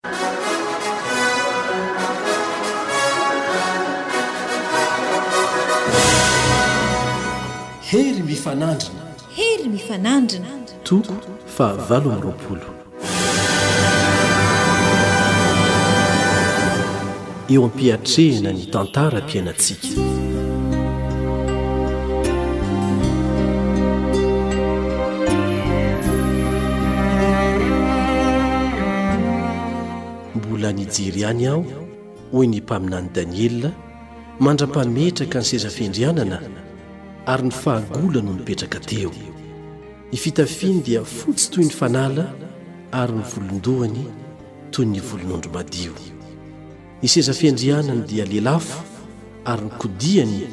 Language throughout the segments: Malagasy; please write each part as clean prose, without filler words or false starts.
Hery mifanandrina. Hery mifanandrina. Toko faha 28. Eo am-piatrehana ny tantaram-piainantsika. Mbola nijery ihany aho, hoy ny mpaminany Daniela, mandra-pametraka ny seza fiandrianana, ary ny fahagola no nipetraka teo. Ny fitafiany dia fotsy toy ny fanala ary ny volon-dohany toy ny volon'ondry madio. Ny seza fiandrianany dia lelafo ary ny kodiany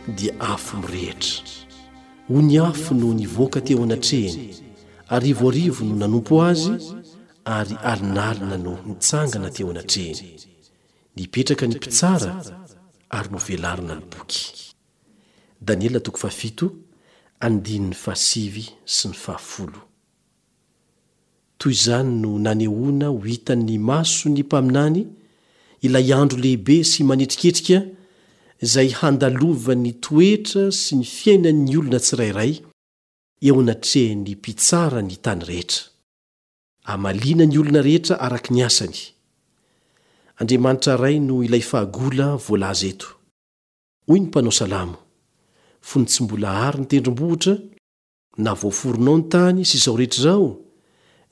dia afo mirehitra. Ony afo no nivoaka teo anatrehiny, arivoarivo no nanompo azy ary alinalina no nitsangana teo anatrehiny. Nipetraka ny mpitsara ary novelarina ny boky. Daniela toko fahafito, andininy fahasivy sy ny fahafolo. Toy izany no nanehoana ho hitan'ny mason'ny mpaminany ilay andro lehibe sy manetriketrika izay handalovan'ny toetra sy ny fiainan'ny olona tsirairay eo anatrehan'ny Mpitsara ny tany rehetra. Hamaliana ny olona rehetra araka ny asany. Andriamanitra Ray no ilay fahagola voalaza eto. Hoy ny mpanao salamo, Fony tsy mbola àry ny tendrombohitra, na voaforonao ny tany sy izao rehetra izao,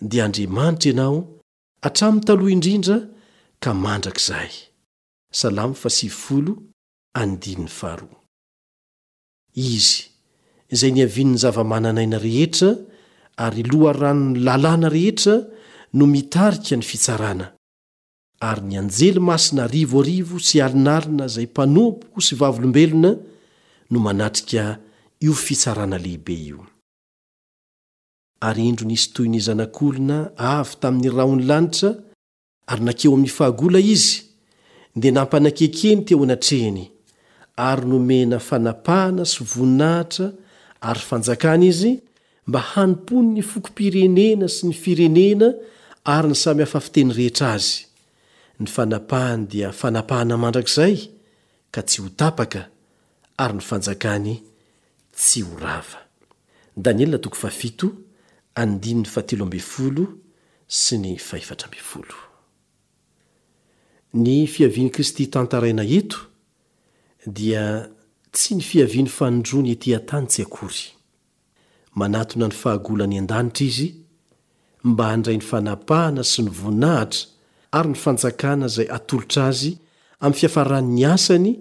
dia Andriamanitra Ianao hatramin'ny taloha indrindra ka mandrakizay. Salamo fahasivifolo, andininy faharoa. Izy, izay niavian'ny zava-manan'aina rehetra ary loharanon'ny lalàna rehetra no mitarika ny fitsarana. Ary ny anjely masina arivoarivo sy alinalina izay mpanompo sy vavolombelona no manatrika io fitsarana lehibe io. Ary indro nisy toy ny zanak'olona avy tamin'ny rahon'ny lanitra, ary nankeo amin'ny fahagola izy, dia nampanakekeny teo anatrehiny, ary nomena fanapahana sy voninahitra ary fanjakana izy, mba hanompoany ny fokom-pirenena sy ny firenena ary ny samy hafa fiteny rehetra azy. Ny fanapahany dia fanapahana mandrakizay ka tsy ho tapaka, ary ny fanjakany tsy ho rava. Daniela toko fahafito, andininy fahatelo ambin'ny folo sy ny fahefatra ambin'ny folo. Ny fiavian'i Kristy tantaraina eto dia tsy ny fiaviany fanindroany ety an-tany tsy akory. Manatona ny fahagola any an-danitra izy mba handray ny fanapahana sy ny voninahitra ary ny fanjakana izay atolotra azy amin'ny fiafaran'ny asany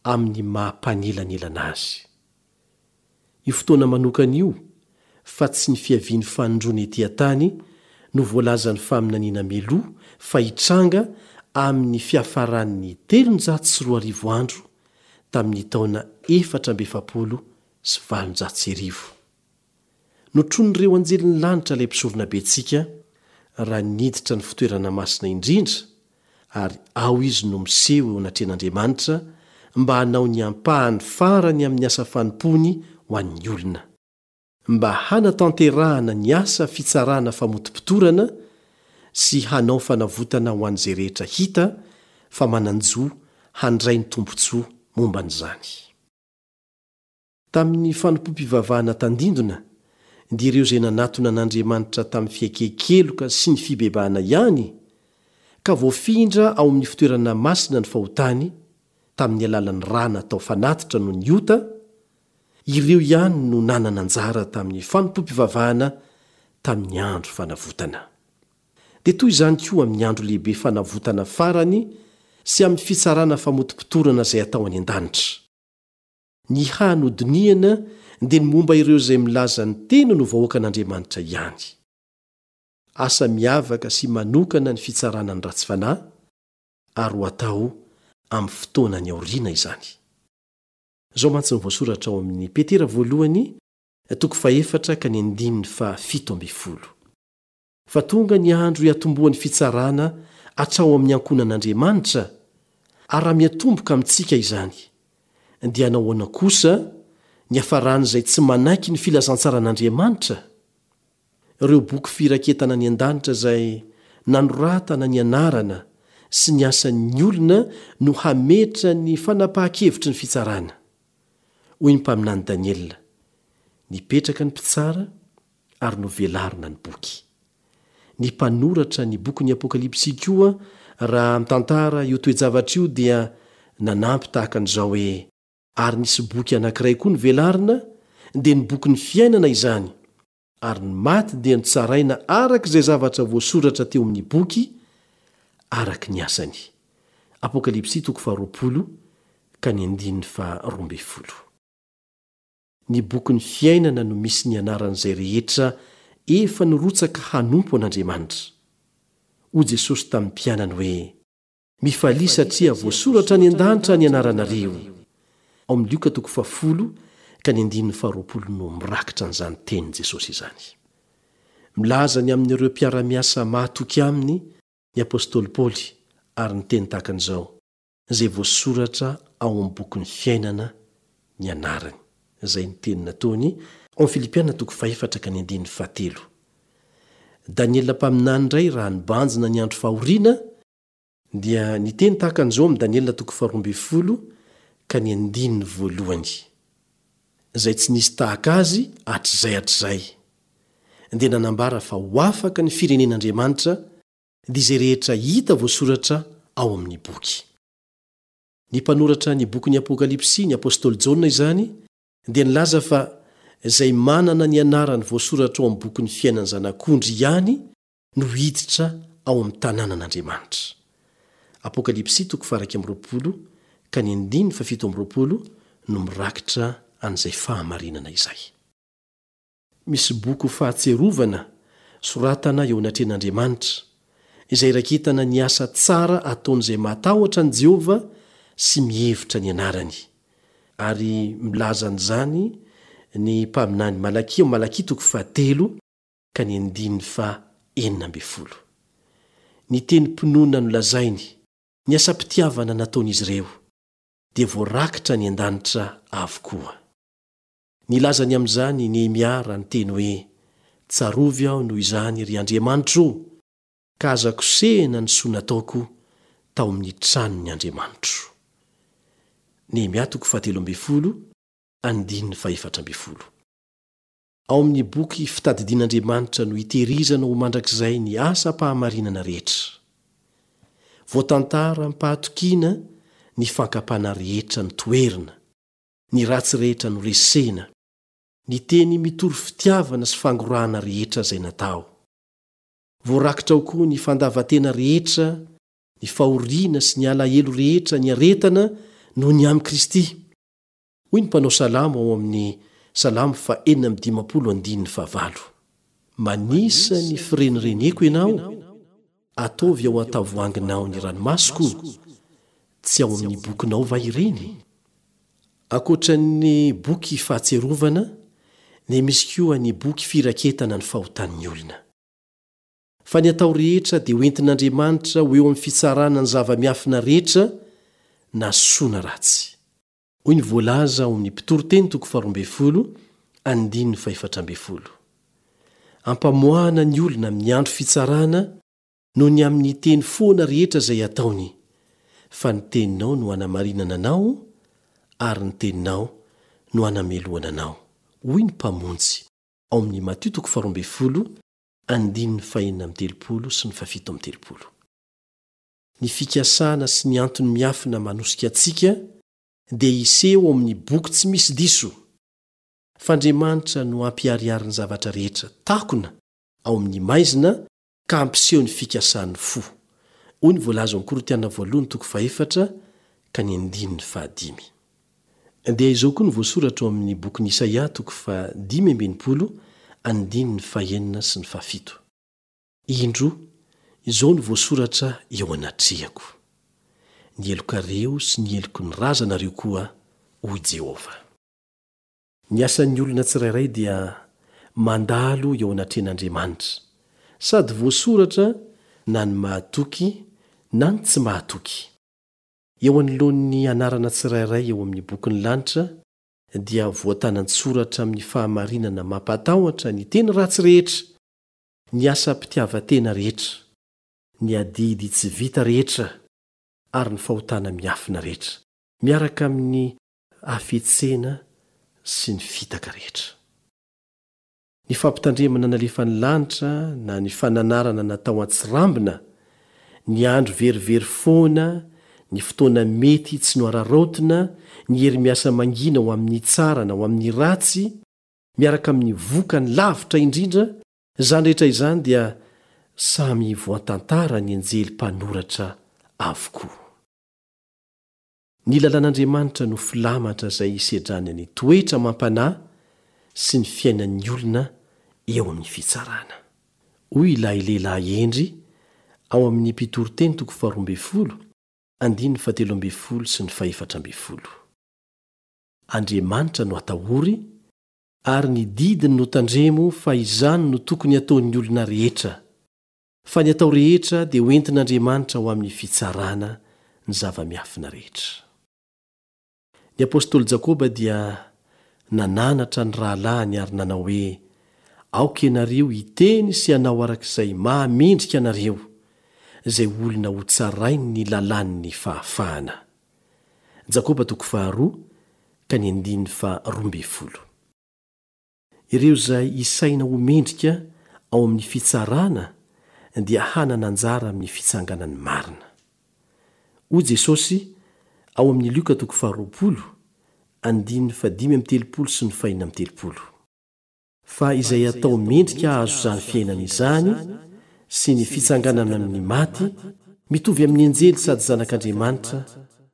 amin'ny maha mpanelanelana azy. Io fotoana manokana io, fa tsy ny fiaviany fanindroany ety an-tany, no voalazan'ny faminaniana mialoha fa hitranga amin'ny fiafaran'ny 2300 andro tamin'ny taona 1844. Notronin'ireo anjelin'ny lanitra ilay Mpisoronabentsika raha niditra ny fitoerana masina indrindra, ary ao izy no miseho eo anatrehan'Andriamanitra mba hanao ny ampahany farany amin'ny asa fanompoany ho an'ny olona. Mba hanatanterahana ny asa fitsarana famotopotorana sy hanao fanavotana ho an'izay rehetra hita fa manan-jo handray ny tombontsoa momba an'izany. Tamin'ny fanompoam-pivavahana tandindona, dia ireo izay nanatona an'Andriamanitra tamin'ny fiaiken-keloka sy ny fibebahana ihany, ka voafindra ao amin'ny fitoerana masina ny fahotany, tamin'ny alalan'ny ra natao fanatitra noho ny ota, ireo ihany no nanana anjara tamin'ny fanompoam-pivavahana tamin'ny Andro Fanavotana. Dia toy izany koa amin'ny andro lehibe fanavotana farany sy amin'ny fitsarana famotopotorana izay atao any an-danitra. Ny hany hodinihana dia ny momba ireo izay milaza ny tenany ho vahoakan'Andriamanitra ihany. Asa miavaka sy manokana ny fitsarana ny ratsy fanahy, ary ho atao amin'ny fotoana any aoriana izany. Izao mantsy no voasoratra ao amin'ny Petera voalohany, toko fahefatra ka ny andininy faha 17. Fa tonga ny andro hiatombohan'ny fitsarana hatrao amin'ny ankohonan'Andriamanitra, ary raha miatomboka amintsika izany, dia hanao ahoana kosa ny hafaran'izay tsy manaiky ny filazantsaran'Andriamanitra? Ireo boky firaketana any an-danitra izay nanoratana ny anarana sy ny asan'ny olona no hametra ny fanapahan-kevitry ny fitsarana. Hoy ny mpaminany Daniela, Nipetraka ny mpitsara ary novelarina ny boky. Ny mpanoratra ny bokin'ny Apokalypsy koa raha mitantara io toe-javatra io dia nanampy tahaka an'izao hoe, Ary nisy boky anankiray koa novelarina, dia ny bokin'ny fiainana izany, ary ny maty dia notsaraina araka izay zavatra voasoratra teo amin'ny boky, araka ny asany. Apokalypsy toko faharoapolo ka ny andininy faharoambinifolo. Ny bokin'ny fiainana no misy ny anaran'izay rehetra efa nirotsaka hanompo an'Andriamanitra. Hoy Jesosy tamin'ny mpianany hoe, Mifalia satria voasoratra any an-danitra ny anaranareo. Ao amin'ny Lioka toko fahafolo ka ny andininy faharoapolo no mirakitra an'izany tenin'i Jesosy izany. Milaza ny amin'ireo mpiara-miasa mahatoky aminy ny apostoly Paoly ary niteny tahaka an'izao, izay voasoratra ao amin'ny bokin'ny fiainana ny anarany. Izay ny teny nataony ao amin'ny Filipiana toko fahefatra ka ny andininy fahatelo. Daniela mpaminany indray raha nibanjina ny andro fahoriana dia niteny tahaka an'izao amin'ny Daniela toko faharoambinifolo ka ny andininy voalohany. Izay tsy nisy tahaka azy hatrizay hatrizay. Dia nanambara fa ho afaka ny firenen'Andriamanitra dia izay rehetra hita voasoratra ao amin'ny boky. Ny mpanoratra ny bokin'ny Apokalypsy, ny apostoly Jaona izany, dia nilaza fa izay manana ny anarany voasoratra ao amin'ny bokin'ny fiainan'ny Zanak'ondry ihany no hiditra ao amin'ny tanànan'Andriamanitra. Apokalypsy toko faha-21 ka ny andininy faha-27 no mirakitra an'izay fahamarinana izay. Misy boky ho fahatsiarovana soratana eo anatrehan'Andriamanitra, izay iraketana ny asa tsara ataon'izay matahotra an'i Jehovah sy mihevitra ny anarany. Ary milaza an'izany ny mpaminany Malakia ao Malakia toko fahatelo ka ny andininy faha-16. Ny tenim-pinoana nolazainy, ny asam-pitiavana nataon'izy ireo, dia voarakitra any an-danitra avokoa. Nilaza ny amin'izany i Nehemia raha niteny hoe, Tsarovy aho noho izany, ry Andriamanitro ô, ka aza kosehina ny soa nataoko tao amin'ny tranon'ny Andriamanitro. Nehemia toko fahatelo ambinifolo, andininy fahefatra ambinifolo. Ao amin'ny boky Fitadidian'Andriamanitra no itehirizana ho mandrakizay ny asam-pahamarinana rehetra. Voatantara amim-pahatokiana ny fankam-panahy rehetra notoherina. ny ratsy rehetra noresena, ny teny mitory fitiavana sy fangorahana rehetra izay natao. Voarakitra ao koa ny fandavan-tena rehetra, ny fahoriana sy ny alahelo rehetra niaretana noho ny amin'i Kristy. Hoy ny mpanao salamo ao amin'ny Salamo faha-56 andininy fahavalo, Manisa ny firenireneko Ianao, ataovy ao an-tavoahanginao ny ranomasoko, tsy ao amin'ny bokinao va ireny? Ankoatra ny boky fahatsiarovana dia misy koa ny boky firaketana ny fahotan'ny olona. Fa ny atao rehetra dia ho entin'Andriamanitra ho eo amin'ny fitsarana ny zava-miafina rehetra na soa na ratsy. Hoy ny voalaza ao amin'ny Mpitoriteny toko faharoambinifolo andininy fahefatra ambinifolo. Ampamoahana ny olona amin'ny andro fitsarana noho ny amin'ny teny foana rehetra izay ataony, fa ny teninao no hanamarinana anao ary ny teninao no hanamelohana anao, hoy ny Mpamonjy ao amin'ny Matio toko faharoambinifolo andininy fahenina amby telopolo sy ny fahafito amby telopolo. Ny fikasana sy ny antony miafina manosika antsika dia hiseho ao amin'ny boky tsy misy diso, fa Andriamanitra no hampiharihary ny zavatra rehetra takona ao amin'ny maizina ka hampiseho ny fikasan'ny fo. Hoy ny voalaza ao amin'ny Korintiana voalohany toko fahefatra ka ny andininy fahadimy. Dia izao koa no voasoratra ao amin'ny bokin'i Isaia toko fahadimy amby enimpolo andininy fahenina sy ny fahafito. Indro, izao no voasoratra eo anatrehako, Ny helokareo sy ny heloky ny razanareo koa, hoy Jehovah. Ny asan'ny olona tsirairay dia mandalo eo anatrehan'Andriamanitra, sady voasoratra na ny mahatoky na ny tsy mahatoky. Eo anoloan'ny anarana tsirairay eo amin'ny bokin'ny lanitra dia voatana an-tsoratra amin'ny fahamarinana mampatahotra ny teny ratsy rehetra, ny asam-pitiavan-tena rehetra. ny adidy tsy vita rehetra ary ny fahotana miafina rehetra, miaraka amin'ny hafetsena sy ny fitaka rehetra. Ny fampitandremana nalefan'ny lanitra na ny fananarana natao an-tsirambina, ny andro verivery foana, ny fotoana mety tsy noararaotina, ny hery miasa mangina ho amin'ny tsara na ho amin'ny ratsy, miaraka amin'ny vokany lavitra indrindra, izany rehetra izany dia samy voantantara ny anjely mpanoratra avokoa. Ny lalàn'Andriamanitra no filamatra izay hisedrany ny toetra amam-panahy sy ny fiainan'ny olona eo amin'ny fitsarana. Hoy ilay lehilahy hendry ao amin'ny Mpitoriteny toko faharoambinifolo, andininy fahatelo ambinifolo sy ny fahefatra ambinifolo. Andriamanitra no atahory, ary ny didiny no tandremo fa izany no tokony hataon'ny olona rehetra. Fa ny atao rehetra dia ho entin'Andriamanitra ho amin'ny fitsarana ny zava-miafina rehetra. Ny apostoly Jakoba dia nananatra ny rahalahiny ary nanao hoe, Aoka ianareo hiteny sy hanao araka izay mahamendrika anareo, izay olona hotsarain'ny lalàn'ny fahafahana. Jakoba toko faharoa ka ny andininy faharoambinifolo. Ireo izay isaina ho mendrika ao amin'ny fitsarana dia hanana anjara amin'ny fitsanganan'ny marina. Hoy Jesosy ao amin'ny Lioka toko faharoapolo, andininy fahadimy amby telopolo sy ny fahenina amby telopolo, Fa izay atao mendrika hahazo izany fiainana izany sy ny fitsanganana amin'ny maty, mitovy amin'ny anjely sady zanak'Andriamanitra,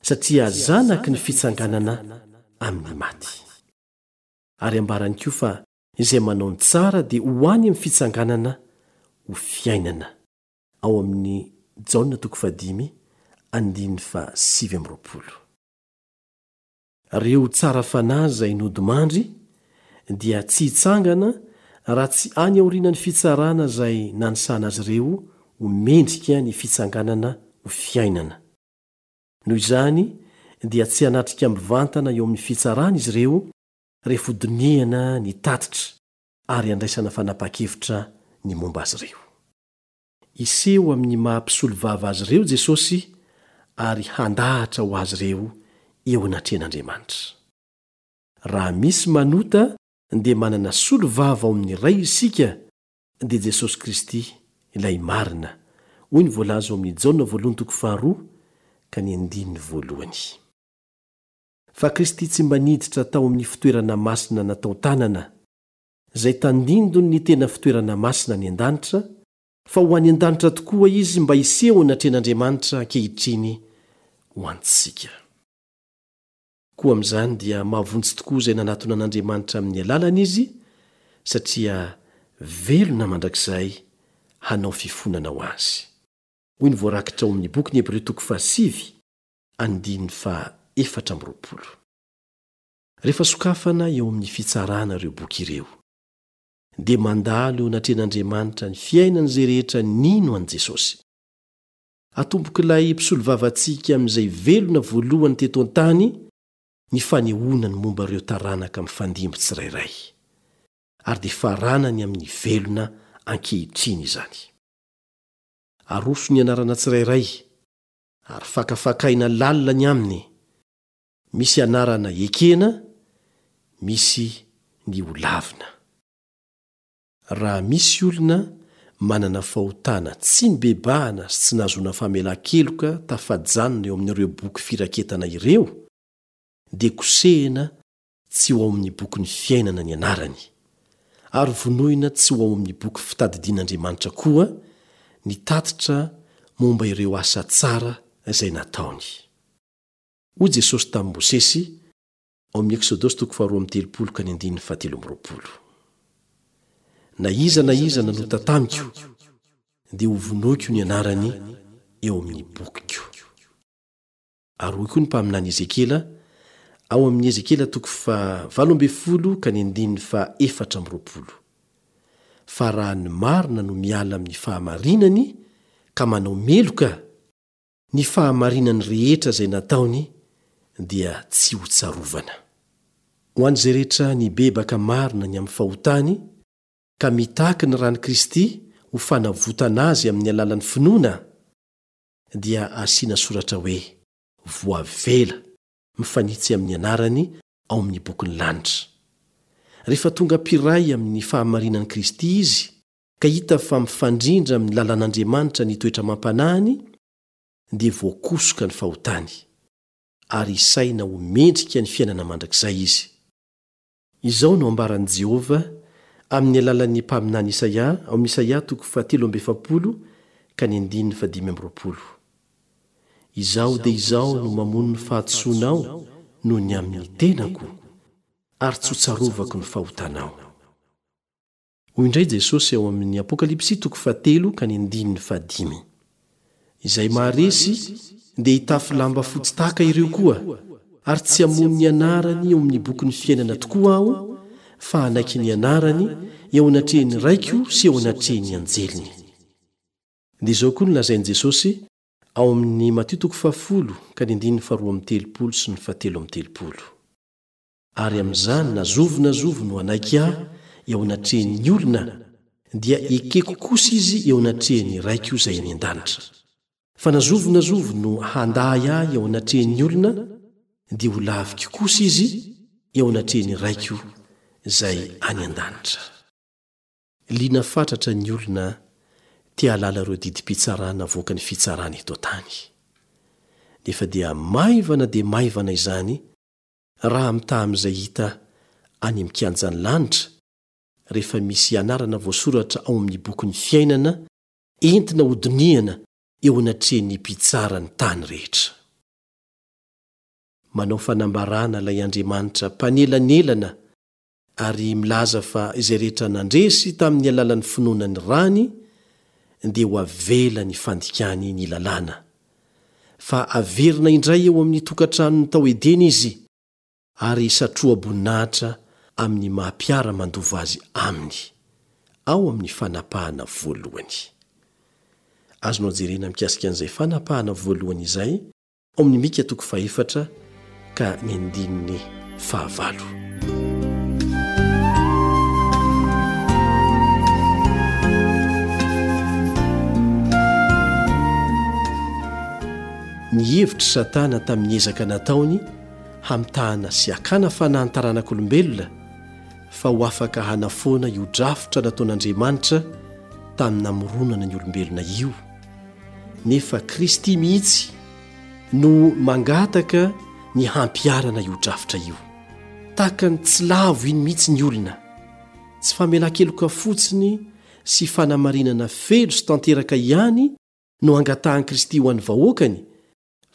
satria zanaky ny fitsanganana amin'ny maty. Ary ambarany koa fa izay manao ny tsara dia ho any amin'ny fitsanganana ho fiainana, ao amin'ny Jaona toko fahadimy andininy faha-29. Reo tsara fanahy izay nodimandry dia tsy hitsangana raha tsy any aorianan'ny fitsarana izay nanisana azy ireo ho mendrika ny fitsanganana ho fiainana. Noho izany dia tsy hanatrika mivantana eo amin'ny fitsarana izy ireo rehefa hodinihana ny tatitra ary handraisana fanapahan-kevitra ny momba azy ireo. Hiseho amin'ny maha mpisolovava azy ireo Jesosy ary handahatra ho azy ireo eo anatrehan'Andriamanitra. Raha misy manota dia manana solovava ao amin'ny Ray isika dia Jesosy Kristy ilay marina, hoy ny voalaza ao amin'ny Jaona voalohany toko faharoa ka ny andininy voalohany. Fa Kristy tsy mba niditra tao amin'ny fitoerana masina natao-tanana, izay tandindon'ny tena fitoerana masina any an-danitra, fa ho any an-danitra tokoa Izy mba hiseho anatrehan'Andriamanitra ankehitriny ho antsika. Koa amin'izany dia mahavonjy tokoa izay nanatona an'Andriamanitra amin'ny alalany izy, satria velona mandrakizay hanao fifonana ho azy. Hoy ny voarakitra ao amin'ny bokin'ny Hebreo toko fahasivy, andininy faha-24. Rehefa sokafana eo amin'ny fitsarana ireo boky ireo, dia mandalo eo anatrehan'Andriamanitra ny fiainan'izay rehetra nino an'i Jesosy. Atombok'ilay mpisolovavantsika amin'izay velona voalohany teto an-tany ny fanehoana ny momba ireo taranaka mifandimby tsirairay, ary dia faranany amin'ny velona ankehitriny izany. Aroso ny anarana tsirairay, ary fakafakaina lalina ny aminy, misy anarana ekena, misy ny holavina. Raha misy olona manana fahotana tsy nibebahana sy tsy nahazoana famelan-keloka tafajanona eo amin'ireo boky firaketana ireo, dia kosehina tsy ho ao amin'ny bokin'ny fiainana ny anarany, ary vonoina tsy ho ao amin'ny boky fitadidian'Andriamanitra koa ny tatitra momba ireo asa tsara izay nataony. Hoy Jesosy tamin'i Mosesy, Ao amin'ny Eksodosy toko faharoa amby telopolo ka ny andininy fahatelo amby roapolo. Na iza na iza nanota tamiko, dia hovonoiko ny anarany eo amin'ny bokiko. Ary hoy koa ny mpaminany Ezekiela, ao amin'ny Ezekiela toko fahavalo ambinifolo ka ny andininy fahaefatra amby roapolo, Fa raha ny marina no miala amin'ny fahamarinany ka manao meloka, Ny fahamarinany rehetra izay nataony dia tsy hotsarovana. Ho an'izay rehetra nibebaka marina ny amin'ny fahotany ka mitaky ny ran'i Kristy ho fanavotana azy amin'ny alalan'ny finoana, dia asiana soratra hoe voavela mifanitsy amin'ny anarany ao amin'ny bokin'ny lanitra. Rehefa tonga mpiray amin'ny fahamarinan'i Kristy izy, ka hita fa mifandrindra amin'ny lalàn'Andriamanitra ny toetra amam-panahiny, dia voakosoka ny fahotany, ary isaina ho mendrika ny fiainana mandrakizay izy. Izao no ambaran'i Jehovah amin'ny alalan'ny mpaminany Isaia ao amin'ny Isaia toko fahatelo amby efapolo ka ny andininy fahadimy amby roapolo, Izaho dia Izaho no mamono ny fahadisoanao noho ny amin'ny tenako, ary tsy hotsarovako ny fahotanao. Hoy indray Jesosy ao amin'ny Apokalypsy toko fahatelo ka ny andininy fahadimy, Izay maharesy dia hitafy lamba fotsy tahaka ireo koa, ary tsy hamono ny anarany eo amin'ny bokin'ny fiainana tokoa Aho, fa hanaiky ny anarany eo anatrehan'ny Raiko sy eo anatrehan'ny anjeliny. Dia izao koa no lazain'i Jesosy ao amin'ny Matio toko fahafolo ka ny andininy faharoa amby telopolo sy ny fahatelo amby telopolo. Ary amin'izany na zovy na zovy no hanaiky Ahy eo anatrehan'ny olona, dia ekeko kosa izy eo anatrehan'ny Raiko izay any an-danitra. Fa na zovy na zovy no handà Ahy eo anatrehan'ny olona, dia ho laviko kosa izy eo anatrehan'ny Raiko izay any an-danitra. Liana fatratra ny olona te hahalala ireo didim-pitsarana avoakan'ny fitsarana eto an-tany. Nefa dia maivana dia maivana izany raha mitaha amin'izay hita any amin'ny kianjan'ny lanitra, rehefa misy anarana voasoratra ao amin'ny bokin'ny fiainana entina hodinihana eo anatrehan'ny Mpitsara ny tany rehetra. Manao fanambarana ilay Andriamanitra mpanelanelana ary milaza fa izay rehetra nandresy tamin'ny alalan'ny finoana ny rany dia ho avela ny fandikany ny lalàna, fa averina indray eo amin'ny tokantranony tao Edena izy ary satroa-boninahitra amin'ny maha mpiara-mandova azy aminy, ao amin'ny fanapahana voalohany. Azonao jerena mikasika an'izay fanapahana voalohany izay Ao amin'ny Mika toko fahefatra ka ny andininy fahavalo. Ny hevitr'i Satana tamin'ny ezaka nataony hamitahana sy hakana fanahy ny taranak'olombelona fa ho afaka hanafoana io drafitra nataon'Andriamanitra tamin'ny namoronana ny olombelona io. Nefa Kristy mihitsy no mangataka ny hampiharana io drafitra io. Tahaka ny tsy lavo iny mihitsy ny olona. Tsy famelan-keloka fotsiny sy fanamarinana feno sy tanteraka ihany no angatahan'i Kristy ho an'ny vahoakany,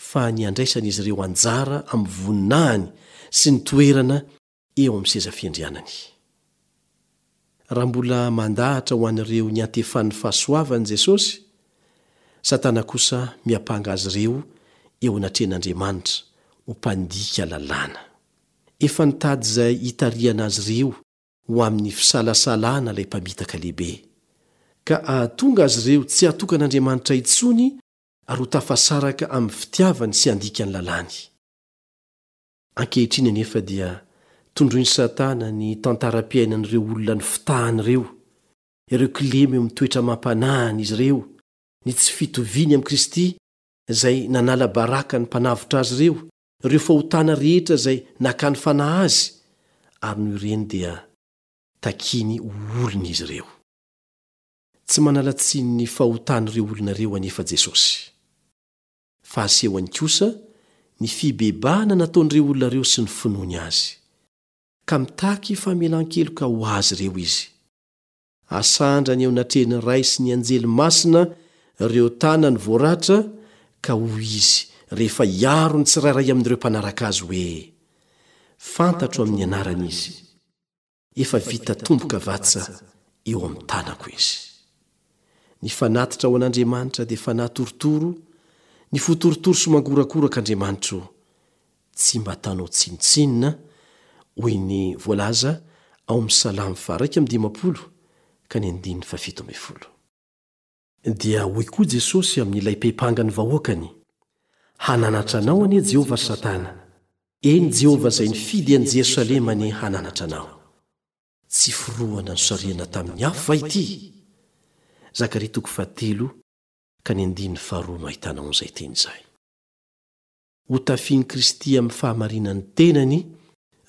fa ny handraisan'izy ireo anjara amin'ny voninahiny sy ny toerana eo amin'ny seza fiandrianany. Raha mbola mandahatra ho an'ireo niantefan'ny fahasoavany Jesosy, Satana kosa miampanga azy ireo eo anatrehan'Andriamanitra ho mpandika lalàna. Efa nitady izay hitarihana azy ireo ho amin'ny fisalasalana ilay mpamitaka lehibe, ka hahatonga azy ireo tsy hatoky an'Andriamanitra intsony ary ho tafasaraka amin'ny fitiavany sy handika ny lalàny. Ankehitriny anefa dia tondroin'i Satana ny tantaram-piainan'ireo olona nifitahany ireo, ireo kilema eo amin'ny toetra amam-panahin'izy ireo, ny tsy fitoviany amin'i Kristy izay nanala baraka ny Mpanavotra azy ireo, ireo fahotana rehetra izay nakany fanahy azy, ary noho ireny dia takiany ho olona izy ireo. Tsy manala tsiny ny fahotan'ireo olona ireo anefa Jesosy. fa asehony kosa ny fibebahana nataon'ireo olona ireo sy ny finoany azy, ka mitaky famelan-keloka ho azy ireo izy. Asandrany eo anatrehan'ny Ray sy ny anjely masina ireo tanany voaratra, ka hoy izy rehefa hiaro ny tsirairay amin'ireo mpanaraka azy hoe, Fantatro amin'ny anarany izy. Efa vita tombokavatsa eo amin'ny tanako izy. Ny fanatitra ho an'Andriamanitra dia fanahy torotoro, ny fo torotoro sy mangorakoraka Andriamanitro tsy mba ataonao tsinontsinona, hoy ny voalaza ao amin'ny Salamo faha-51 ka ny andininy faha-17. Dia hoy koa Jesosy amin'ilay mpepanga ny vahoakany, Hananatra anao anie Jehovah, ry Satana! Eny, Jehovah izay nifidy an'i Jerosalema anie hananatra anao! Tsy forohana nosarihana tamin'ny afo va ity? Zakaria toko fahatelo. ka ny andininy faharoa no ahitanao an'izay teny izay. Hotafian'i Kristy amin'ny fahamarinan'ny tenany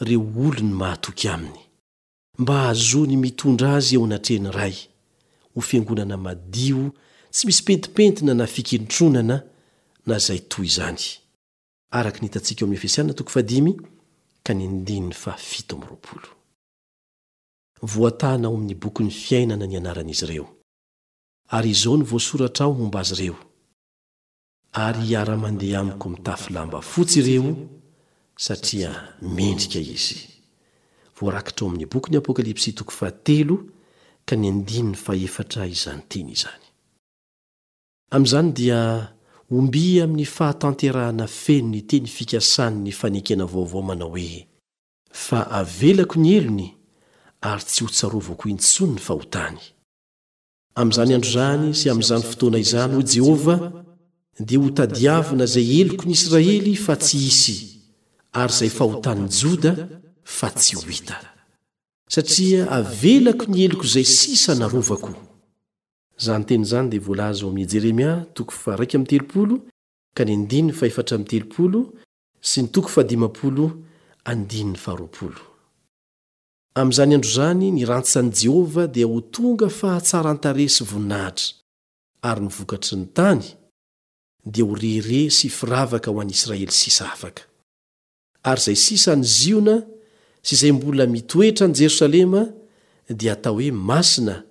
ireo olony mahatoky aminy, mba hahazoany mitondra azy eo anatrehan'ny Ray, ho fiangonana madio tsy misy pentimpentina na fikentronana na izay toy izany, araka ny hitantsika ao amin'ny Efesiana toko fahadimy ka ny andininy fahafito amby 20. Voatàna ao amin'ny bokin'ny fiainana ny anaran'izy ireo, ary izao no voasoratra ao momba azy ireo, Ary hiara-mandeha amiko mitafy lamba fotsy ireo, satria mendrika izy. Voarakitra ao amin'ny bokin'ny Apokalypsy toko fahatelo ka ny andininy fahefatra izany teny izany. Amin'izany dia omby amin'ny fahatanterahana feno ny teny fikasan'ny fanekena vaovao manao hoe, Fa avelako ny helony ary tsy hotsarovako intsony ny fahotany. Amin'izany andro izany sy amin'izany fotoana izany, hoy Jehovah, dia hotadiavina izay heloky ny Israely fa tsy hisy, ary izay fahotan'ny Joda fa tsy ho hita. Satria avelako ny heloko izay sisa narovako. Izany teny izany dia voalaza ao amin'ny Jeremia toko faha-31 ka ny andininy faha-34 sy ny toko faha-50 andininy faha-20. Amin'izany andro izany ny rantsan'i Jehovah dia ho tonga fahatsaran-tarehy sy voninahitra, ary ny vokatry ny tany dia ho rehareha sy firavaka ho an'i Israely sisa afaka. Ary izay sisa any Ziona sy izay mbola mitoetra any Jerosalema dia hatao hoe masina,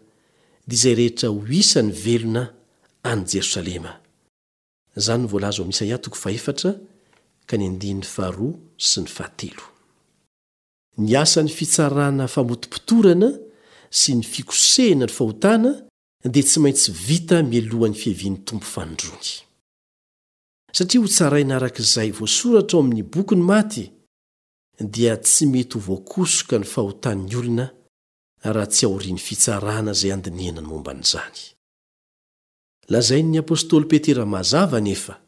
dia izay rehetra ho isan'ny velona any Jerosalema. Izany no voalaza ao amin'ny Isaia toko fahefatra ka ny andininy faharoa sy ny fahatelo. Ny asan'ny fitsarana famotopotorana sy ny fikosehina ny fahotana dia tsy maintsy vita mialohan'ny fiavian'ny Tompo fanindroany. Satria hotsaraina araka izay voasoratra ao amin'ny boky ny maty, dia tsy mety ho voakosoka ny fahotan'ny olona raha tsy aorian'ny fitsarana izay handinihana ny momba an'izany. Lazain'ny apostoly Petera mazava anefa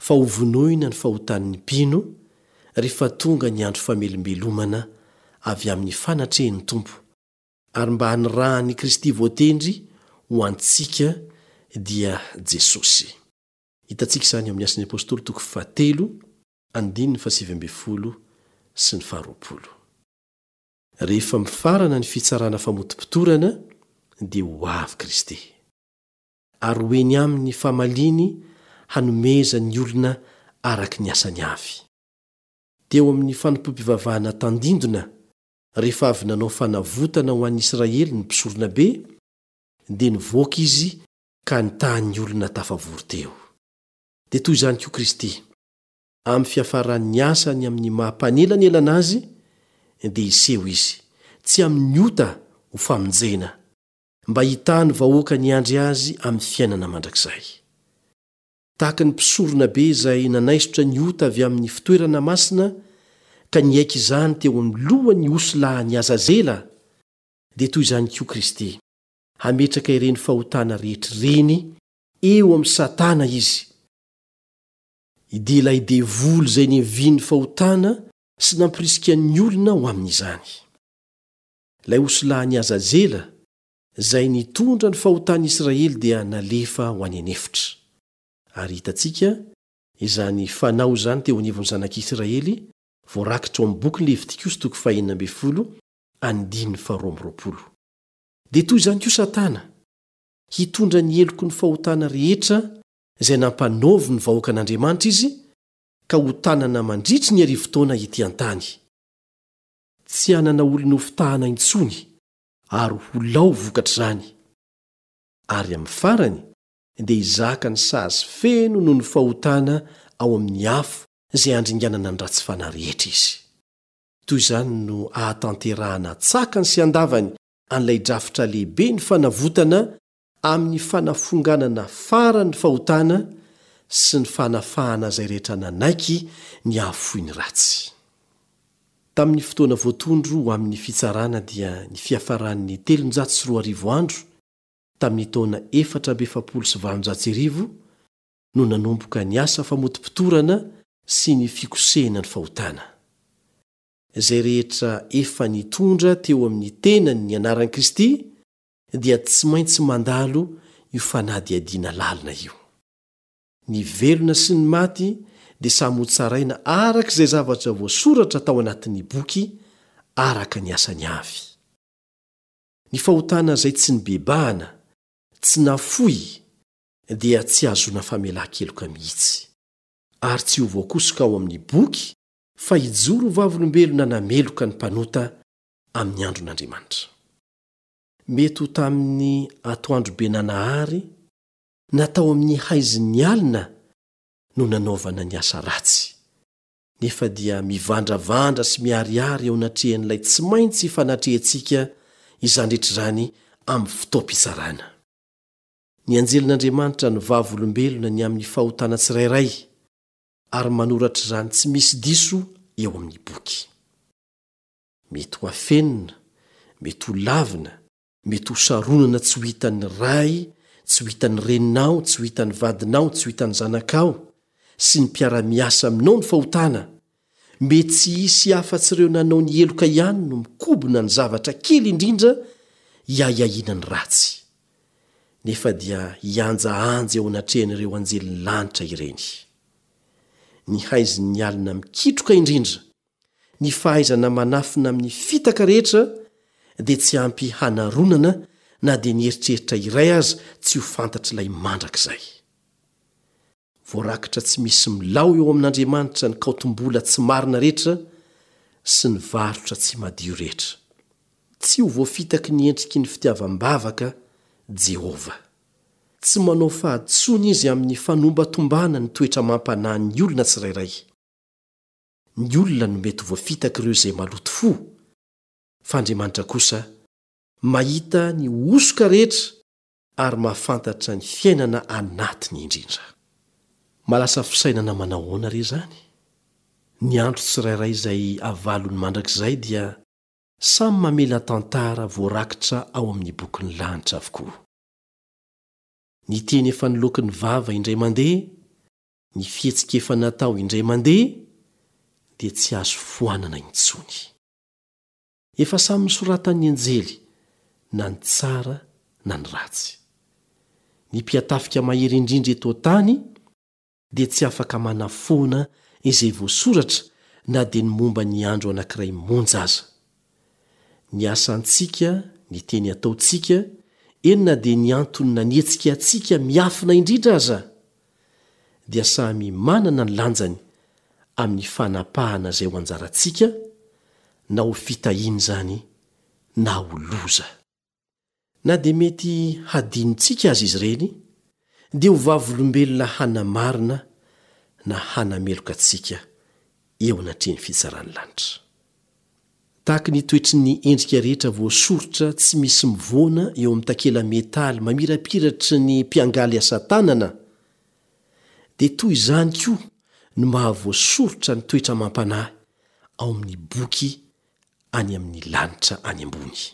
fa hovonoina ny fahotan'ny mpino rehefa tonga ny andro famelombelomana avy amin'ny fanatrehin'ny Tompo, ary mba hanirahan'i Kristy voatendry ho antsika dia Jesosy. Hitantsika izany ao amin'ny Asan'ny Apostoly toko fahatelo, andininy fahasivy ambin'ny folo sy ny faharoapolo. Rehefa mifarana ny fitsarana famotopotorana dia ho avy Kristy. Ary ho eny aminy ny famaliany hanomezany ny olona araka ny asany avy. Teo amin'ny fanompoam-pivavahana tandindona, rehefa avy nanao fanavotana ho an'ny Israely ny mpisoronabe, dia nivoaka izy ka nitaha ny olona tafavory teo. Dia toy izany koa Kristy, amin'ny fiafaran'ny asany amin'ny maha mpanelanelana Azy, dia hiseho Izy, tsy amin'ny ota ho famonjena, mba hitaha ny vahoaka niandry azy amin'ny fiainana mandrakizay. Tahaka ny mpisoronabe izay nanaisotra ny ota avy amin'ny fitoerana masina ka niaiky izany teo amin'ny lohan'ny osilahin'i Azazela, dia toy izany koa Kristy, hametraka ireny fahotana rehetra ireny eo amin'i Satana Izy, dia ilay devoly izay niavian'ny fahotana sy nampirisika ny olona ho amin'izany. Ilay osilahin'i Azazela, izay nitondra ny fahotan'i Israely dia nalefa ho any an'efitra. Ary hitantsika izany fanao izany teo anivon'ny zanak'Israely, voarakitra ao amin'ny bokin'ny Levitikosy toko fahenina ambin'ny folo, andininy faharoa amby 20. Dia toy izany koa Satana, hitondra ny heloky ny fahotana rehetra izay nampanaoviny ny vahoakan'Andriamanitra izy, ka hotanana mandritry ny arivotaona ety an-tany. Tsy hanana olona hofitahana intsony ary ho lao vokatr'izany. Ary amin'ny farany dia hizaka ny sazy feno noho ny fahotana ao amin'ny afo izay handringanana ny ratsy fanahy rehetra izy. Toy izany no ahatanterahana an-tsakany sy an-davany an'ilay drafitra lehibe ny fanavotana amin'ny fanafonganana farany ny fahotana sy ny fanafahana izay rehetra nanaiky ny hahafoy ny ratsy. Tamin'ny fotoana voatondro ho amin'ny fitsarana dia ny fiafaran'ny 2300 andro tamin'ny taona 1844 no nanomboka ny asa famotopotorana sy ny fikosehina ny fahotana. Izay rehetra efa nitondra teo amin'ny tenany ny anaran'i Kristy dia tsy maintsy mandalo io io fanadihadiana lalina io. Ny velona sy ny maty dia samy hotsaraina araka izay zavatra voasoratra tao anatin'ny boky araka ny asany avy. Ny fahotana izay tsy nibebahana, tsy nafoy, dia tsy hahazoana famelan-keloka mihitsy, ary tsy ho voakosoka ao amin'ny boky fa hijoro ho vavolombelona nameloka ny mpanota amin'ny andron'Andriamanitra. Mety ho tamin'ny atoandrobe nanahary na tao amin'ny haizin'ny alina no nanaovana ny asa ratsy, nefa dia mivandravandra sy miharihary eo anatrehan'ilay tsy maintsy ifanatrehantsika izany rehetra izany amin'ny fotoam-pitsarana. Ny anjelin'Andriamanitra no vavolombelona ny amin'ny fahotana tsirairay ary manoratra izany tsy misy diso eo amin'ny boky. Mety ho afenina, mety ho lavina, mety ho saronana tsy ho hitan'ny ray, tsy ho hitan'ny reninao, tsy ho hitan'ny vadinao, tsy ho hitan'ny zanakao, sy ny mpiara-miasa aminao ny fahotana, Mety tsy hisy afa-tsy ireo nanao ny heloka ihany no mikobona ny zavatra kely indrindra hiahiahiana ny ratsy. Nefa dia hihanjahanja eo anatrehan'ireo anjelin'ny lanitra ireny. Ny haizin'ny alina mikitroka indrindra, ny fahaizana manafina amin'ny fitaka rehetra dia tsy ampy hanaronana na dia ny eritreritra iray aza tsy ho fantatr'ilay mandrakizay. Voarakitra tsy misy milao eo amin'Andriamanitra ny kaotim-bola tsy marina rehetra sy ny varotra tsy madio rehetra. Tsy ho voafitaky ny endriky ny fitiavam-bavaka Jehovah. Tsy manao fahadisoana izy amin'ny fanombatombana ny toetra amam-panahin'ny olona tsirairay. Ny olona no mety ho voafitak'ireo izay maloto fo, fa Andriamanitra kosa mahita ny hosoka rehetra ary mahafantatra ny fiainana anatiny indrindra. Mahalasa fisainana manao ahoana re izany? Ny andro tsirairay izay avalony mandrakizay dia samy mamela tantara voarakitra ao amin'ny bokin'ny lanitra avokoa. Ny teny efa niloaky ny vava indray mandeha, ny fihetsika efa natao indray mandeha dia tsy azo foanana intsony. Efa samy nosoratan'ny anjely na ny tsara na ny ratsy. Ny mpiatafika mahery indrindra eto an-tany dia tsy afaka manafoana izay voasoratra na dia ny momba ny andro anankiray monja aza. Ny asantsika, ny teny ataontsika, eny na dia ny antony nanetsika antsika miafina indrindra aza, dia samy manana ny lanjany amin'ny fanapahana izay ho anjarantsika, na ho fitahiana izany na ho loza. Na dia mety hadinontsika aza izy ireny, dia ho vavolombelona hanamarina na hanameloka antsika eo anatrehan'ny fitsaran'ny lanitra. Tahaka ny toetry ny endrika rehetra voasoritra tsy misy mivoana eo amin'ny takela-metaly mamirapiratry ny mpiangaly asa tanana, dia toy izany koa no mahavoasoritra ny toetra amam-panahy ao amin'ny boky any amin'ny lanitra any ambony.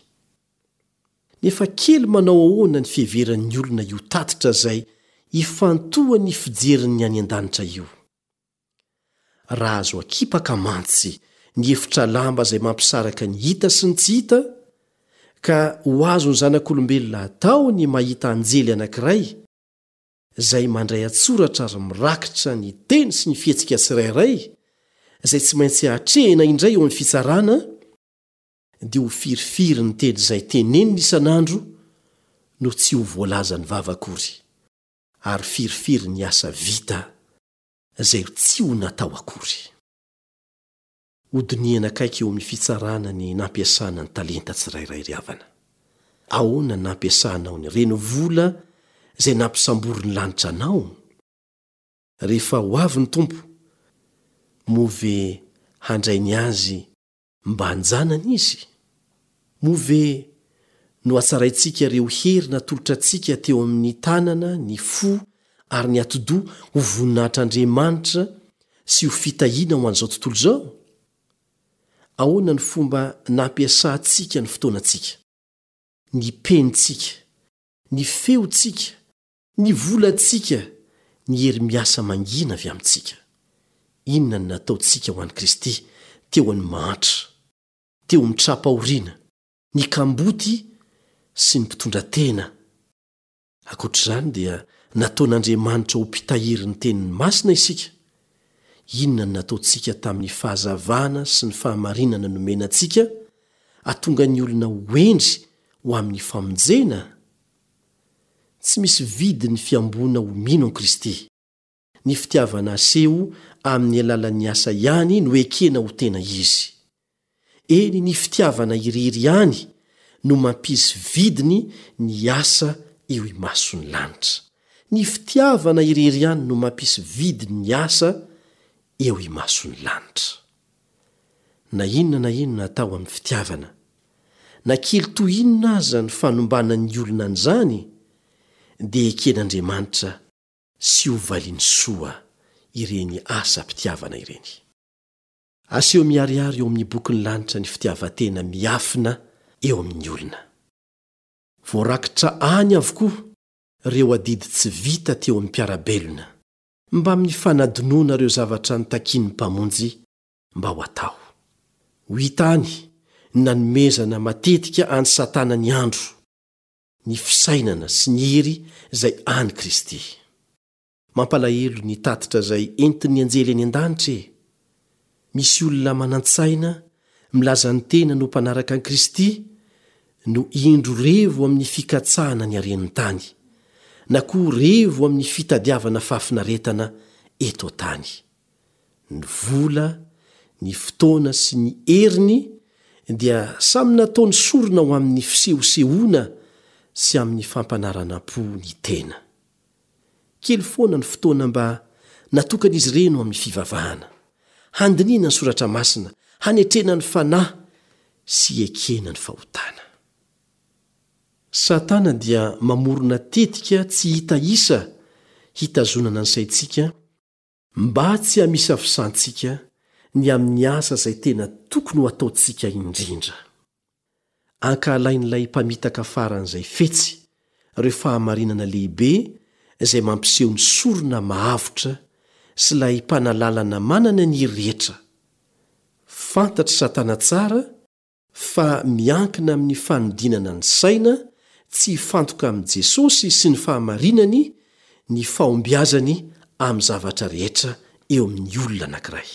Nefa kely manao ahoana ny fiheveran'ny olona io tatitra izay ifantohan'ny fijerin'ny any an-danitra io? Raha azo akipaka mantsy ny efitra lamba izay mampisaraka ny hita sy ny tsy hita, ka ho azon'ny zanak'olombelona atao ny mahita anjely anankiray izay mandray an-tsoratra ary mirakitra ny teny sy ny fihetsika tsirairay izay tsy maintsy atrehina indray eo amin'ny fitsarana, dia ho firifiry ny teny izay tenenina isan'andro no tsy ho voalazan'ny vava akory, ary firifiry ny asa vita izay tsy ho natao akory. Hodinihana akaiky eo amin'ny fitsarana ny nampiasana ny talenta tsirairay ry havana. Ahoana ny nampiasanao ny renivola izay nampisamborin'ny lanitra anao? Rehefa ho avy ny Tompo, moa ve handray ny Azy Mba an-janany izy? Moa ve nohatsaraintsika ireo hery natolotra antsika teo amin'ny tanana, ny fo ary ny atidoha ho voninahitr'Andriamanitra sy ho fitahiana ho an'izao tontolo izao? Ahoana ny fomba nampiasantsika ny fotoanantsika, ny penintsika, ny feontsika, Ny volantsika, ny hery miasa mangina avy amintsika. Inona no nataontsika ho an'i Kristy teo amin'ny mahantra, teo amin'ny tra-pahoriana, ny kamboty sy ny mpitondra tena? Ankoatra izany dia nataon'Andriamanitra ho mpitahiry ny teniny masina isika. Inona no nataontsika tamin'ny fahazavana sy ny fahamarinana nomena antsika hahatonga ny olona ho hendry ho amin'ny famonjena? Tsy misy vidiny ny fihamboana ho mino an'i Kristy. Ny fitiavana aseho amin'ny alalan'ny asa ihany no ekena ho tena izy. Eny, ny fitiavana irery ihany no mampisy vidiny ny asa eo imason'ny lanitra. Ny fitiavana irery ihany no mampisy vidiny ny asa eo imason'ny lanitra. Na inona na inona atao amin'ny fitiavana, na kely toy inona aza ny fanombanan'ny olona an'izany, dia eken'Andriamanitra sy ho valiany soa ireny asam-pitiavana ireny. Aseho miharihary eo amin'ny bokin'ny lanitra ny fitiavan-tena miafina eo amin'ny olona. Voarakitra any avokoa ireo adidy tsy vita teo amin'ny mpiara-belona, mbamin'ny fanadinoana ireo zavatra notakian'ny Mpamonjy mba ho atao. Ho hita any ny nanomezana matetika an'i Satana ny andro, ny fisainana sy ny hery izay an'i Kristy. Mampalahelo ny tatitra izay entin'ny anjely any an-danitra e! Misy olona manan-tsaina milaza ny tenany ho mpanaraka an'i Kristy no indro revo amin'ny fikatsahana ny haren'ny tany, na koa revo amin'ny fitadiavana fahafinaretana eto an-tany. Ny vola, ny fotoana sy ny heriny dia samy nataony sorona ho amin'ny fisehosehoana sy amin'ny fampanaranam-po ny tena. Kely foana ny fotoana mba natokan'izy ireny ho amin'ny fivavahana, handinihana ny soratra masina, hanetrena ny fanahy sy hiekena ny fahotana. Satana dia mamorona tetika tsy hita isa hitazonana ny saintsika Mba tsy hamisavisantsika ny amin'ny asa izay tena tokony ho ataontsika indrindra. Ankahalain'ilay mpamitaka faran'izay fetsy ireo fahamarinana lehibe izay mampiseho ny sorona mahavotra sy ilay mpanalalana manana ny hery rehetra. Fantatr'i Satana tsara fa miankina amin'ny fanodinana ny saina tsy hifantoka amin'i Jesosy sy ny fahamarinany ny fahombiazany amin'ny zavatra rehetra eo amin'ny olona anankiray.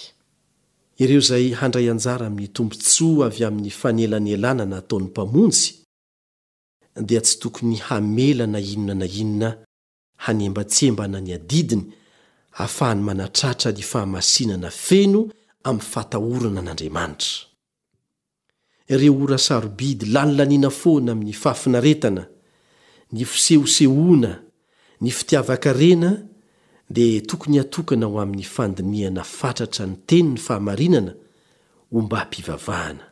Ireo izay handray anjara amin'ny tombontsoa avy amin'ny fanelanelanana ataon'ny Mpamonjy dia tsy tokony hamela na inona na inona hanembantsembana ny adidiny ahafahany manatratra ny fahamasinana feno amin'ny fatahorana an'Andriamanitra. Ireo ora sarobidy lanilaniana foana amin'ny fahafinaretana, ny fisehosehoana, ny fitiavan-karena dia tokony hatokana ho amin'ny fandinihana fatratra ny tenin'ny fahamarinana ombàm-pivavahana.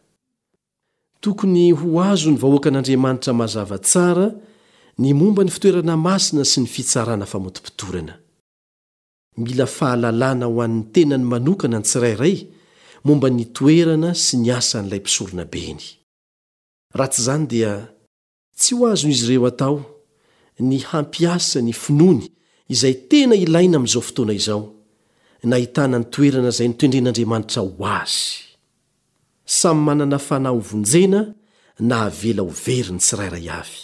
Tokony ho azon'ny vahoakan'Andriamanitra mazava tsara ny momba ny fitoerana masina sy ny fitsarana famotopotorana. Mila fahalalana ho an'ny tenany manokana ny tsirairay momba ny toerana sy ny asan'ilay Mpisoronabeny. Raha tsy izany dia tsy ho azon'izy ireo atao ny hampiasa ny finoany izay tena ilaina amin'izao fotoana izao, nahitana ny toerana izay notendren'Andriamanitra ho azy. Samy manana fanahy hovonjena na avela ho very ny tsirairay avy.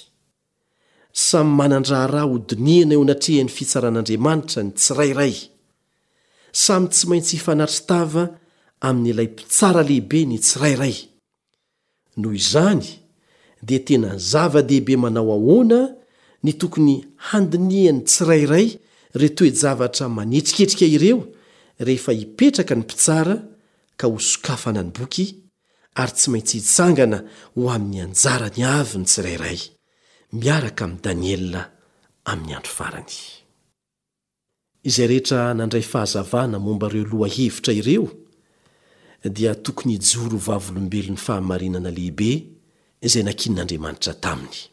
Samy manan-draharaha hodinihana eo anatrehan'ny fitsaran'Andriamanitra ny tsirairay. Samy tsy maintsy hifanatri-tava amin'ilay Mpitsara Lehibe ny tsirairay. Noho izany, dia tena zava-dehibe manao ahoana ny tokony handinihan'ny tsirairay ireo toe-javatra manetriketrika ireo rehefa hipetraka ny Mpitsara ka hosokafana ny boky, ary tsy maintsy hitsangana ho amin'ny anjarany avy ny tsirairay, miaraka amin'i Daniela amin'ny andro farany. Izay rehetra nandray fahazavana momba ireo lohahevitra ireo dia tokony hijoro ho vavolombelon'ny fahamarinana lehibe izay nankinin'Andriamanitra taminy.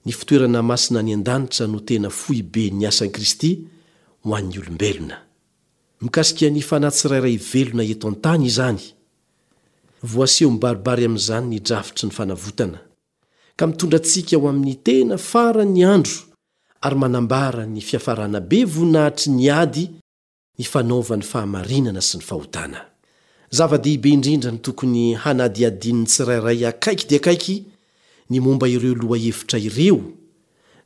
Ny fitoerana masina any an-danitra no tena foiben'ny asan'i Kristy ho an'ny olombelona. Mikasika ny fanahy tsirairay velona eto an-tany izany. Voaseho mibaribary amin'izany ny drafitry ny fanavotana, ka mitondra antsika ho amin'ny tena faran'ny andro ary manambara ny fiafarana be voninahitry ny ady nifanaovan'ny fahamarinana sy ny fahotana. Zava-dehibe indrindra ny tokony hanadihadian'ny tsirairay akaiky dia akaiky ny momba ireo lohahevitra ireo.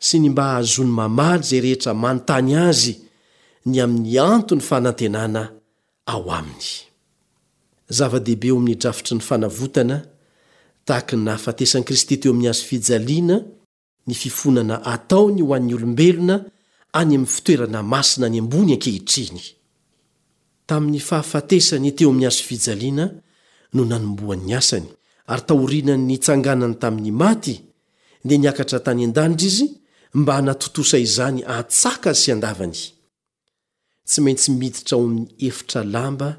sy ny mba hahazoany mamaly izay rehetra manontany azy ny amin'ny anton'ny fanantenana ao aminy. Zava-dehibe eo amin'ny drafitry ny fanavotana, tahaka ny nahafatesan'i Kristy teo amin'ny hazo fijaliana, ny fifonana ataony ho an'ny olombelona any amin'ny fitoerana masina any ambony ankehitriny. Tamin'ny fahafatesany teo amin'ny hazo fijaliana no nanombohany ny asany, ary taorianan'ny nitsanganany tamin'ny maty, dia niakatra tany an-danitra izy mba hanatontosa izany an-tsakany sy an-davany. Tsy maintsy miditra ao amin'ny efitra lamba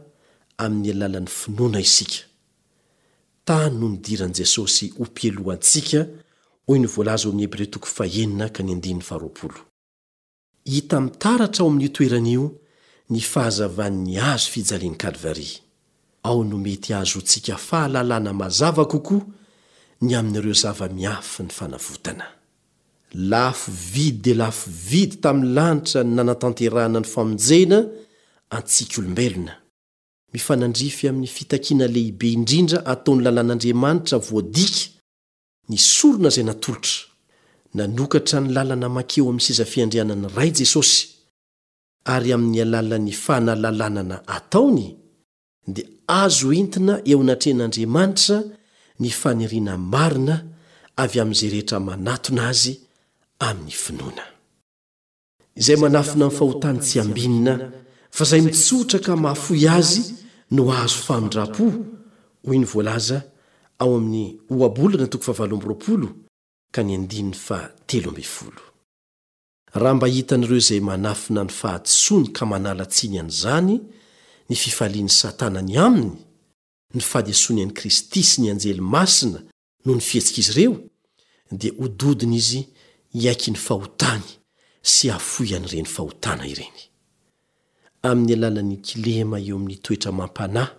amin'ny alalan'ny finoana isika. Tany no nidiran'i Jesosy ho mpialoha antsika, hoy ny voalaza ao amin'ny Hebreo toko fahenina ka ny andininy faharoapolo. Hita mitaratra ao amin'io toerana io ny fahazavan'ny hazo fijalian'i Kalvary. Ao no mety hahazoantsika fahalalana mazava kokoa ny amin'ireo zava-miafin'ny fanavotana. Lafo vidy dia lafo vidy tamin'ny lanitra ny nanatanterahana ny famonjena antsika olombelona. Mifanandrify amin'ny fitakiana lehibe indrindra ataon'ny lalàn'Andriamanitra voadika ny sorona izay natolotra. Nanokatra ny lalana mankeo amin'ny seza fiandrianan'ny Ray Jesosy, ary amin'ny alalan'ny fanalalanana ataony, dia azo entina eo anatrehan'Andriamanitra ny faniriana marina avy amin'izay rehetra manatona Azy amin'ny finoana. Izay manafina ny fahotany tsy ambinina, fa izay mitsotra ka mahafoy azy no hahazo famindram-po, hoy ny voalaza ao amin'ny Ohabolana toko fahavalo amby 20 ka ny andininy fahatelo ambin'ny folo. Raha mba hitan'ireo izay manafina ny fahadisoany ka manala tsiny an'izany ny fifalian'i Satana ny aminy, ny fahadisoany an'i Kristy sy ny anjely masina noho ny fihetsik'izy ireo, dia ho dodona izy hiaiky ny fahotany sy hahafoy an'ireny fahotana ireny. Amin'ny alalan'ny kilema eo amin'ny toetra amam-panahy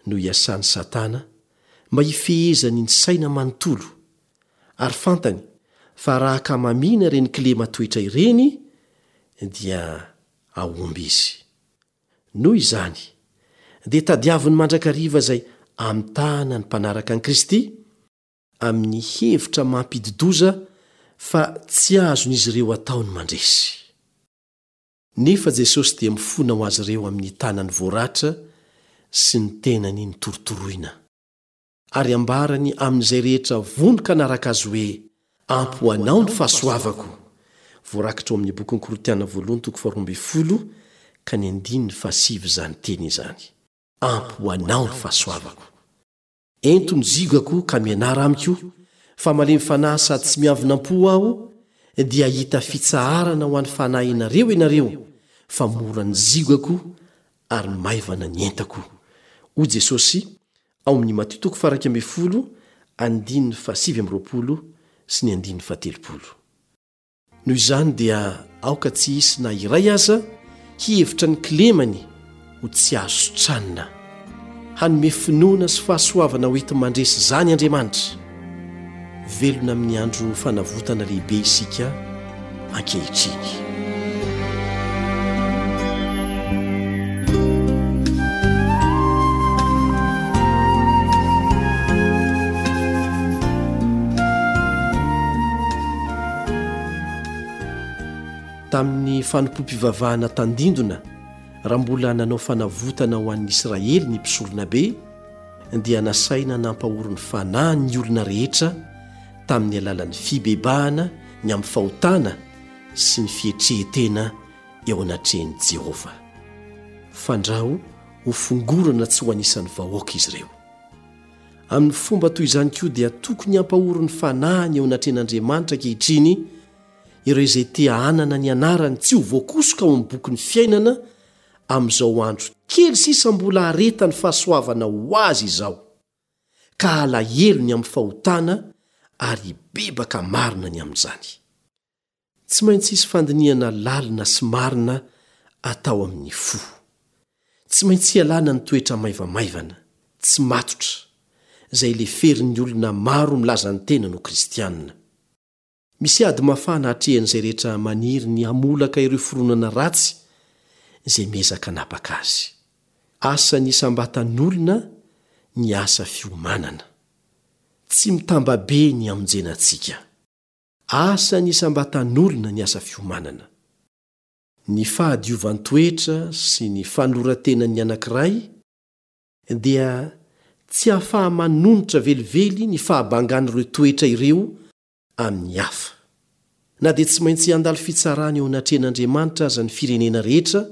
no iasan'i Satana mba hifehezany ny saina manontolo, ary fantany fa raha akamamiana ireny kilema toetra ireny dia hahomby izy. Noho izany, dia tadiaviny mandrakariva izay hamitahana ny mpanaraka an'i Kristy amin'ny hevitra mampidi-doza fa tsy azon'izy ireo atao ny mandresy. Nefa Jesosy dia mifona ho azy ireo amin'ny tanany voaratra sy ny tenany notorotoroina. Ary ambarany amin'izay rehetra vonon-kanaraka Azy hoe, Ampy ho anao ny fahasoavako. Voarakitra ao amin'ny bokin'ny Korintiana voalohany toko faharoa ambin'ny folo ka ny andininy fahasivy izany teny izany. Ampy ho anao ny fahasoavako. Ento ny ziogako ka mianara amiko, fa malemy fanahy sady tsy miavona am-po aho, dia hahita fitsaharana ho an'ny fanahinareo ianareo, fa mora ny ziogako ary maivana ny entako. Hoy Jesosy ao amin'ny Matio toko faha-11 andininy faha-29 sy ny andininy faha-30. Noho izany dia aoka tsy hisy na iray aza hihevitra ny kilemany ho tsy azo sitranina. Hanome finoana sy fahasoavana ho enti-mandresy izany Andriamanitra. Velona amin'ny andro fanavotana lehibe isika ankehitriny. Tamin'ny fanompoam-pivavahana tandindona, raha mbola nanao fanavotana ho an'ny Israely ny mpisoronabe, dia nasaina nampahory ny fanahy ny olona rehetra tamin'ny alalan'ny fibebahana ny amin'ny fahotana sy ny fietrehetena eo anatrehan'i Jehovah. Fandrao ho fongorana tsy ho anisan'ny vahoaka izy ireo. Amin'ny fomba toy izany koa dia tokony hampahory ny fanahiny eo anatrehan'Andriamanitra ankehitriny ireo izay te hanana ny anarany tsy ho voakosoka ao amin'ny bokin'ny fiainana amin'izao andro kely sisa mbola haharetan'ny fahasoavana ho azy izao, ka halahelo ny amin'ny fahotana ary hibebaka marina ny amin'izany. Tsy maintsy hisy fandinihana lalina sy marina atao amin'ny fo. Tsy maintsy ialana ny toetra maivamaivana, tsy matotra, izay leferin'ny olona maro milaza ny tenany ho kristiana. Misy ady mafana atrehan'izay rehetra maniry ny hamolaka ireo fironana ratsy izay miezaka hanapaka azy. Asan'ny isam-batan'olona ny asa fiomanana. Tsy mitambabe ny hamonjena antsika. Asan'ny isam-batan'olona ny asa fiomanana. Ny fahadiovan-toetra sy ny fanoloran-tenan'ny anankiray dia tsy ahafaha-manonitra velively ny fahabangan'ireo toetra ireo amin'ny hafa. Na dia tsy maintsy handalo fitsarana eo anatrehan'Andriamanitra aza ny firenena rehetra,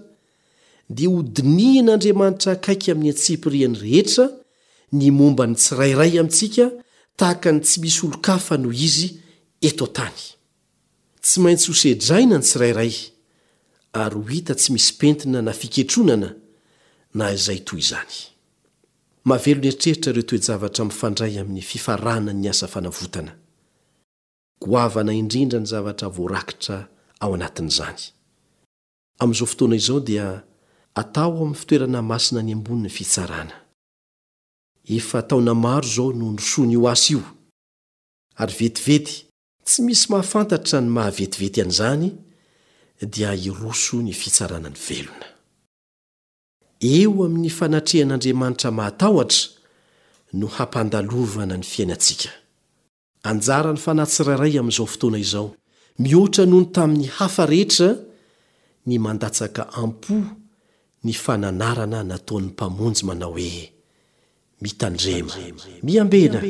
dia hodinihin'Andriamanitra akaiky amin'ny antsipiriany rehetra ny momba ny tsirairay amintsika tahaka ny tsy misy olon-kafa noho izy eto an-tany. Tsy maintsy hosedraina ny tsirairay ary ho hita tsy misy pentina na fiketronana na izay toy izany. Mahavelon'eritreritra ireo toe-javatra mifandray amin'ny fifaranan'ny asa fanavotana. Goavana indrindra ny zavatra voarakitra ao anatin'izany. Amin'izao fotoana izao dia atao ao amin'ny fitoerana masina any ambony ny fitsarana. Efa taona maro izao no nirosoana io asa io, ary vetivety, tsy misy mahafantatra ny maha vetivety an'izany, dia hiroso ny fitsarana ny velona. Eo amin'ny fanatrehan'Andriamanitra mahatahotra no hampandalovana ny fiainantsika. Anjaran'ny fanahy tsirairay amin'izao fotoana izao, mihoatra noho ny tamin'ny hafa rehetra, ny mandatsaka am-po ny fananarana nataon'ny Mpamonjy manao hoe, Mitandrema, miambena,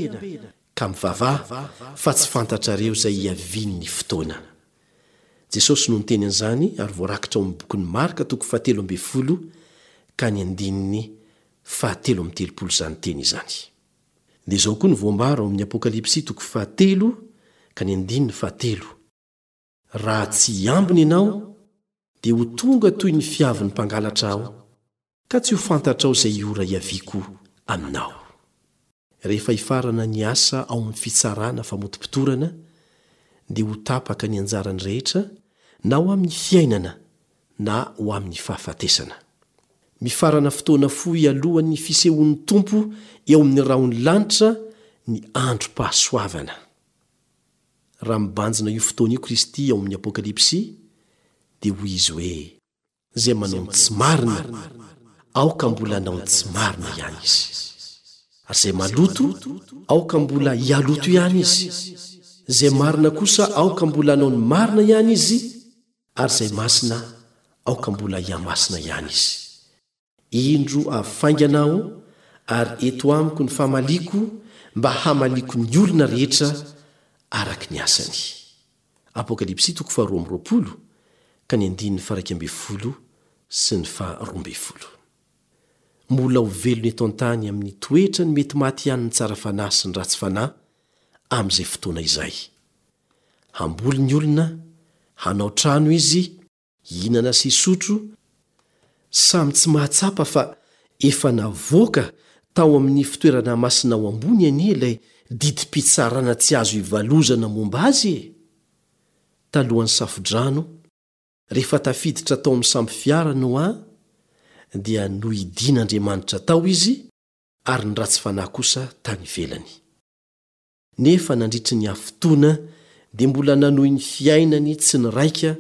ka mivavaha, fa tsy fantatrareo izay hiavian'ny fotoana. Jesosy no niteny an'izany ary voarakitra ao amin'ny bokin'i Marka toko fahatelo ambinifolo ka ny andininy fahatelo amby telopolo izany teny izany. Dia izao koa no voambara ao amin'ny Apokalypsy toko fahatelo ka ny andininy fahatelo, Raha tsy hiambina ianao, dia ho tonga toy ny fiavin'ny mpangalatra Aho, ka tsy ho fantatrao izay ora hiaviako aminao. Rehefa hifarana ny asa ao amin'ny fitsarana famotopotorana, dia ho tapaka ny anjaran'ny rehetra, na ho amin'ny fiainana na ho amin'ny fahafatesana. Mifarana fotoana fohy alohan'ny fisehoan'ny Tompo eo amin'ny rahon'ny lanitra ny androm-pahasoavana. Raha mibanjina io fotoana io Kristy ao amin'ny Apokalypsy, dia hoy Izy hoe, Izay manao ny tsy marina, aoka mbola hanao ny tsy marina ihany izy. Ary izay maloto, aoka mbola hihaloto ihany izy. Izay marina kosa, aoka mbola hanao ny marina ihany izy, Ary izay masina, aoka mbola hihamasina ihany izy. Indro avy faingana Aho, ary eto amiko ny famaliako mba hamaliako ny olona rehetra araka ny asany. Apokalypsy toko faharoa amby 20 ka ny andininy faha-11 sy ny faha-12. Mbola ho velona eto an-tany amin'ny toetrany mety maty ihany ny tsara fanahy sy ny ratsy fanahy amin'izay fotoana izay. Hamboly ny olona, hanao trano izy, hihinana sy hisotro, samy tsy mahatsapa fa efa navoaka tao amin'ny fitoerana masina ao ambony anie ilay didim-pitsarana tsy azo ivalozana momba azy e! Talohan'ny Safodrano, rehefa tafiditra tao amin'ny sambo fiara Noa, dia nohidian'Andriamanitra tao izy ary ny ratsy fanahy kosa tany ivelany. Nefa nandritry ny hafitoana dia mbola nanohy ny fiainany tsy niraika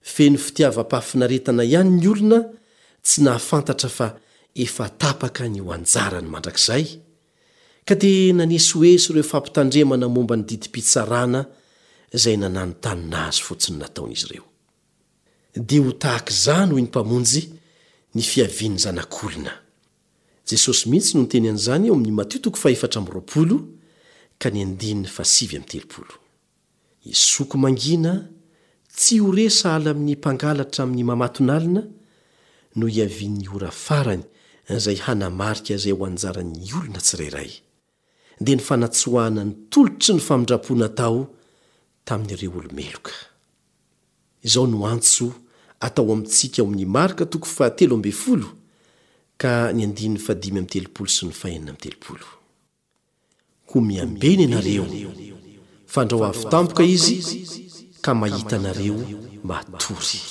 feno fitiavam-pahafinaretana ihany ny olona tsy nahafantatra fa efa tapaka ny ho anjarany mandrakizay, ka dia nanesoeso ireo fampitandremana momba ny didim-pitsarana izay nananontanona azy fotsiny nataon'izy ireo. Dia ho tahaka izany, hoy ny Mpamonjy, ny fiavian'ny Zanak'olona. Jesosy mihitsy no niteny an'izany ao amin'ny Matio toko fahefatra amby 20 ka ny andininy fahasivy amby 30. Hisoko mangina, tsy ho re sahala amin'ny mpangalatra amin'ny mamatonalina, no hiavian'ny ora farany izay hanamarika izay ho anjaran'ny olona tsirairay, dia ny fanatsoahana ny tolotry ny famindram-po natao tamin'ireo olo-meloka. Izao no antso atao amintsika ao amin'ny Marka toko fahatelo ambin'ny folo ka ny andininy fahadimy amby 30 sy ny fahenina amby 30. Koa miambena ianareo, fandrao avy tampoka izy ka mahita anareo matory.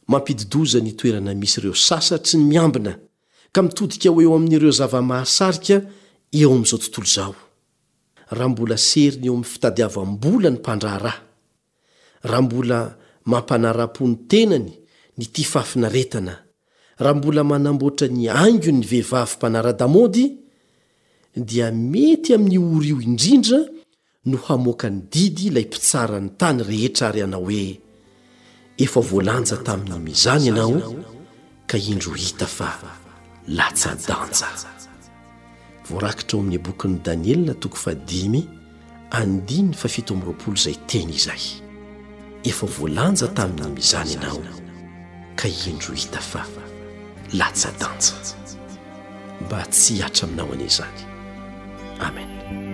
Mampidi-doza ny toerana misy ireo sasatry ny miambina ka mitodika ho eo amin'ireo zava-mahasarika eo amin'izao tontolo izao. Raha mbola seriny eo amin'ny fitadiavam-bola ny mpandraharaha, raha mbola mampanara-po ny tenany ny tia fahafinaretana, raha mbola manamboatra ny haingony ny vehivavy mpanara-damaody, dia mety amin'io ora io indrindra. no hamoaka ny didy ilay mpitsara ny tany rehetra ary hanao hoe, Efa voalanja tamin'ny mizana ianao ka indro hita fa latsa-danja. Voarakitra ao amin'ny bokin'i Daniela toko fahadimy andininy fahafito amby 20 izay teny izay. Efa voalanja tamin'ny mizana ianao ka indro hita fa latsa-danja. Mba tsy hihatra aminao anie izany. Amen.